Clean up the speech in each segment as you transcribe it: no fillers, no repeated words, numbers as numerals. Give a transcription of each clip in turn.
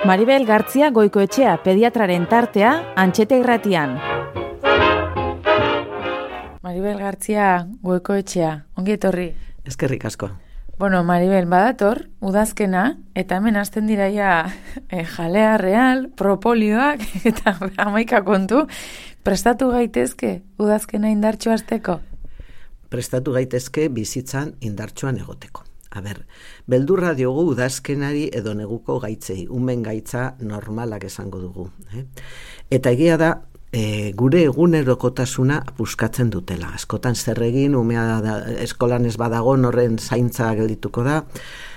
Maribel Gartzia Goikoetxea pediatraren tartea Antxete Irratian. Maribel Gartzia Goikoetxea, ongi etorri. Eskerrik asko. Bueno, Maribel, badator, udazkena, eta hemen hasten diraia jalea real, propolioak, eta 11 kontu, prestatu gaitezke udazkena indartxo hasteko? Prestatu gaitezke bizitzan indartxoan egoteko. Beldurra diogu udazkenari edo neguko gaitzei, umen gaitza normalak esango dugu. Eta egia da, gure egunerokotasuna puskatzen dutela. Askotan zer egin, umea eskolan ez badago, horren zaintza geldituko da.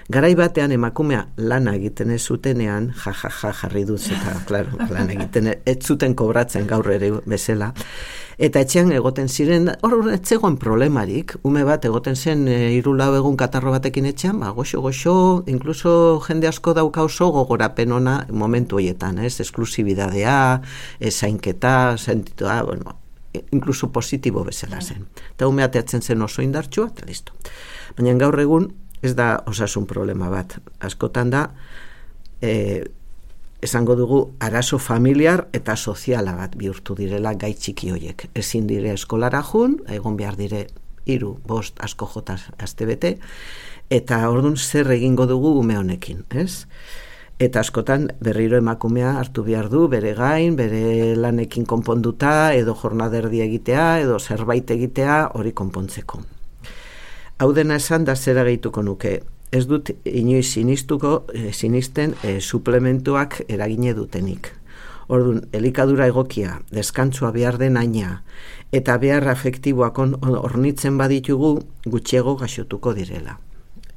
Garai batean emakumea lana egiten ez zutenean, jarri duz eta, klaro, lan egiten ez zuten kobratzen gaur ere bezala. Eta etxean egoten ziren, hor etzegoen problemarik, ume bat egoten zen 3-4 egun katarro batekin etxean, goxo, inkluso jende asko dauka oso gogorapen ona momentu horietan, esklusibidadea, zainketa, sentitua, inkluso positibo bezala zen. Eta ume ateatzen zen oso indartsua, eta listo. Baina gaur egun ez da osasun problema bat. Askotan da, esango dugu arazo familiar eta soziala bat bihurtu direla gai txiki hoiek. Ezin dire eskolara jun, egon behar dire 3-5 asko jota astebete, eta ordun zer egingo dugu ume honekin, ez? Eta askotan berriro emakumea hartu behar du, bere gain, bere lanekin konponduta, edo jornaderdi egitea, edo zerbait egitea, hori konpontzeko. Hau dena esan da zera gehituko nuke. Ez dut inoiz sinisten suplementuak eragine dutenik. Orduan, elikadura egokia, deskantzua behar den aina, eta behar afektiboak hornitzen baditugu, gutxiego gaixotuko direla.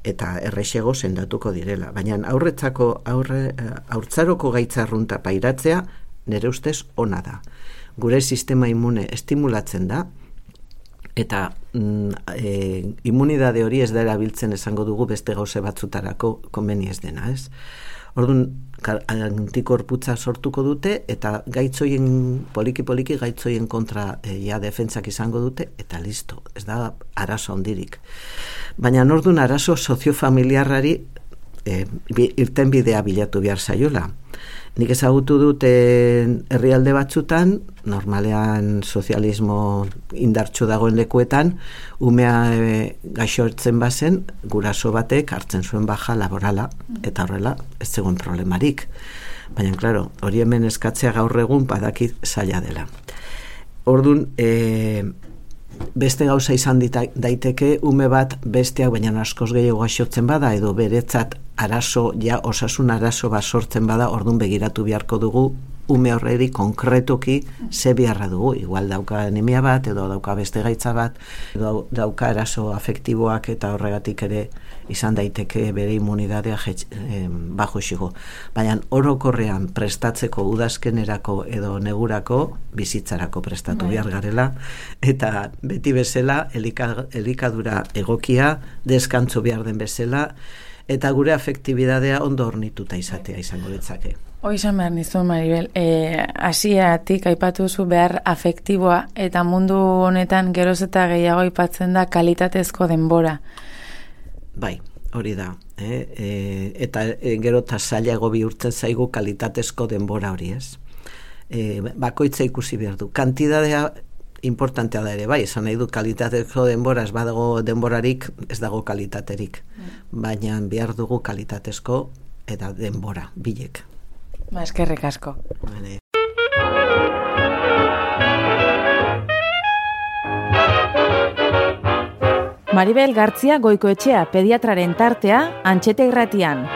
Eta errexego sendatuko direla. Baina haurtzaroko gaitzarrunta pairatzea, nire ustez ona da. Gure sistema imune estimulatzen da, eta immunidade hori ez da erabiltzen esango dugu beste gauze batzutarako konbeni ez dena, ez? Orduan, antikorputza sortuko dute, eta gaitzoien, poliki gaitzoien kontra defentsak izango dute, eta listo, ez da arazo handirik. Baina orduan arazo soziofamiliarrari irtenbidea bilatu behar zaiola. Nik ezagutu dut herrialde batzutan, normalean sozialismo indartxo dagoen lekuetan, umea gaixotzen bazen, guraso batek hartzen zuen baja laborala, eta horrela ez zegoen problemarik. Baina, klaro, hori hemen eskatzea gaur egun badakit zaila dela. Orduan, beste gauza izan daiteke ume bat besteak baina askoz gehiago gaixotzen bada, edo beretzat arazo, osasun arazo bat sortzen bada, orduan begiratu beharko dugu ume horreri konkretoki ze beharra dugu. Igual dauka anemia bat, edo dauka beste gaitza bat, edo dauka arazo afektiboak, eta horregatik ere izan daiteke bere immunidadea bajo xigo. Baina orokorrean prestatzeko udazkenerako edo negurako bizitzarako prestatu behar garela, eta beti bezala elikadura egokia, deskantzo behar den bezala, eta gure afektibidadea ondo hornituta izatea izango ditzake. Hoi izan behar nizun, Maribel, hasieratik aipatuzu behar afektiboa, eta mundu honetan geroz eta gehiago aipatzen da kalitatezko denbora. Bai, hori da. Eta gero eta zailago bihurtzen zaigu kalitatezko denbora hori, ez? Bakoitza ikusi behar du. Kantidadea importantea da ere, bai, esan nahi du kalitatezko denbora, ez badago denborarik, ez dago kalitaterik. Baina behar dugu kalitatezko eta denbora, bilek. Eskerrik asko. Maribel Gartzia Goikoetxea pediatraren tartea Antxete Irratian.